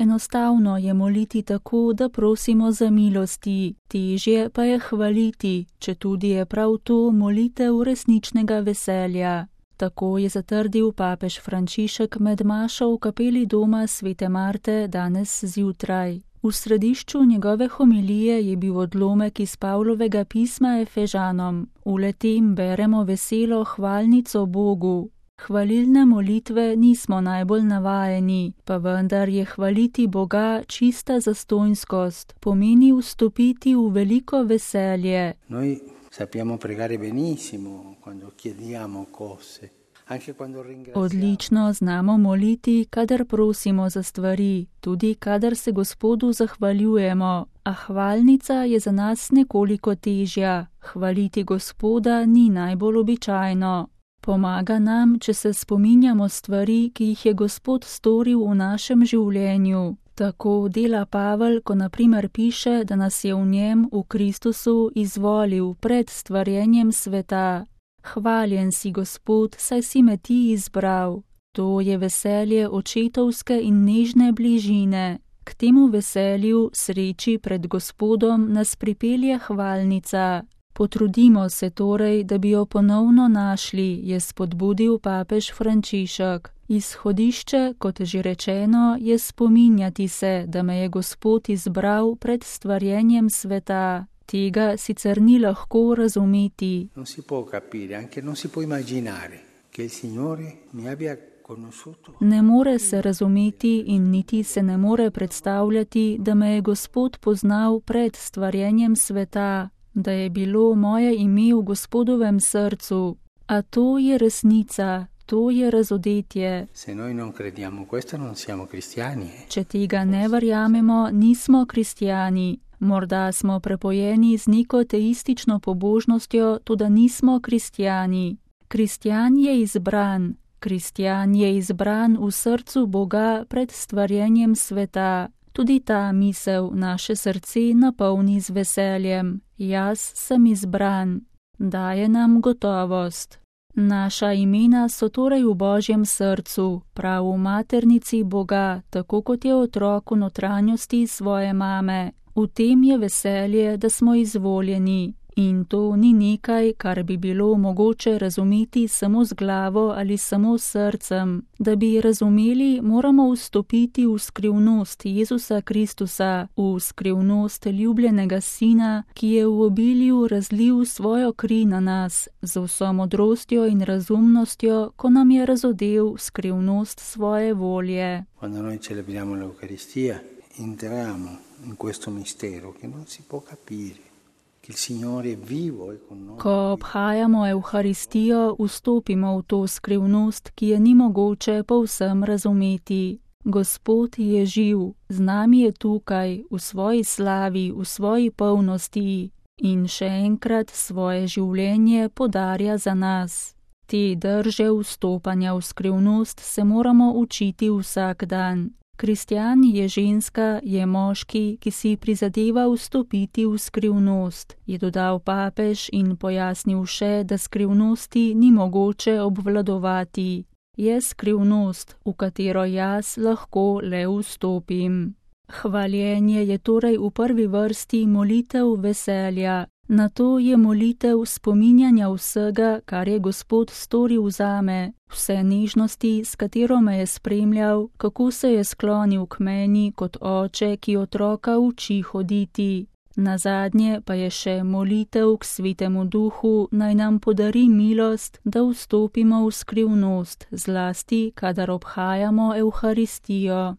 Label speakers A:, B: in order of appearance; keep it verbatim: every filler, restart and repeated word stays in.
A: Enostavno je moliti tako, da prosimo za milosti, težje pa je hvaliti, četudi je prav to molitev resničnega veselja. Tako je zatrdil papež Frančišek med mašo v kapeli doma svete Marte danes zjutraj. V središču njegove homilije je bil odlomek iz Pavlovega pisma Efežanom. V letem beremo veselo hvalnico Bogu. Hvalilne molitve nismo najbolj navajeni, pa vendar je hvaliti Boga čista zastonjskost, pomeni vstopiti v veliko veselje.
B: Noi sappiamo pregare benissimo quando chiediamo cose.
A: Odlično znamo moliti, kadar prosimo za stvari, tudi kadar se Gospodu zahvaljujemo, a hvalnica je za nas nekoliko težja. Hvaliti Gospoda ni najbolj običajno. Pomaga nam, če se spominjamo stvari, ki jih je Gospod storil v našem življenju. Tako dela Pavel, ko na primer piše, da nas je v njem, v Kristusu, izvolil pred stvarjenjem sveta. Hvaljen si, Gospod, saj si me ti izbral. To je veselje očetovske in nežne bližine. K temu veselju, sreči pred Gospodom, nas pripelje hvalnica. Potrudimo se torej, da bi jo ponovno našli, je spodbudil papež Frančišek. Izhodišče, kot že rečeno, je spominjati se, da me je Gospod izbral pred stvarjenjem sveta. Tega sicer ni lahko razumeti.
B: Non si può capire, anche non si può immaginare che il Signore mi abbia conosciuto.
A: Ne more se razumeti in niti se ne more predstavljati, da me je Gospod poznal pred stvarjenjem sveta, da je bilo moje ime v Gospodovem srcu. A to je resnica, to je razodetje.
B: Se noi non crediamo questo, non siamo cristiani. Eh?
A: Če tega ne verjamemo, nismo kristjani. Morda smo prepojeni z neko teistično pobožnostjo, toda nismo kristjani. Kristjan je izbran. Kristjan je izbran v srcu Boga pred stvarjenjem sveta. Tudi ta misel naše srce napolni z veseljem. Jaz sem izbran. Daje nam gotovost. Naša imena so torej v Božjem srcu, prav v maternici Boga, tako kot je otrok v notranjosti svoje mame. V tem je veselje, da smo izvoljeni. In to ni nekaj, kar bi bilo mogoče razumeti samo z glavo ali samo s srcem. Da bi razumeli, moramo vstopiti v skrivnost Jezusa Kristusa, v skrivnost ljubljenega Sina, ki je v obilju razlil svojo kri na nas, z vso modrostjo in razumnostjo, ko nam je razodel skrivnost svoje volje.
B: Quando noi celebriamo l'Eucaristia, entriamo in questo mistero che non si può capire.
A: Ko obhajamo Evharistijo, vstopimo v to skrivnost, ki je ni mogoče povsem razumeti. Gospod je živ, z nami je tukaj, v svoji slavi, v svoji polnosti in še enkrat svoje življenje podarja za nas. Te drže vstopanja v skrivnost se moramo učiti vsak dan. Kristjan je ženska, je moški, ki si prizadeva vstopiti v skrivnost, je dodal papež in pojasnil še, da skrivnosti ni mogoče obvladovati. Je skrivnost, v katero jaz lahko le vstopim. Hvaljenje je torej v prvi vrsti molitev veselja. Nato je molitev spominjanja vsega, kar je Gospod storil zame, vse nežnosti, s katero me je spremljal, kako se je sklonil k meni kot oče, ki otroka uči hoditi. Nazadnje pa je še molitev k Svetemu Duhu, naj nam podari milost, da vstopimo v skrivnost, zlasti, kadar obhajamo Evharistijo.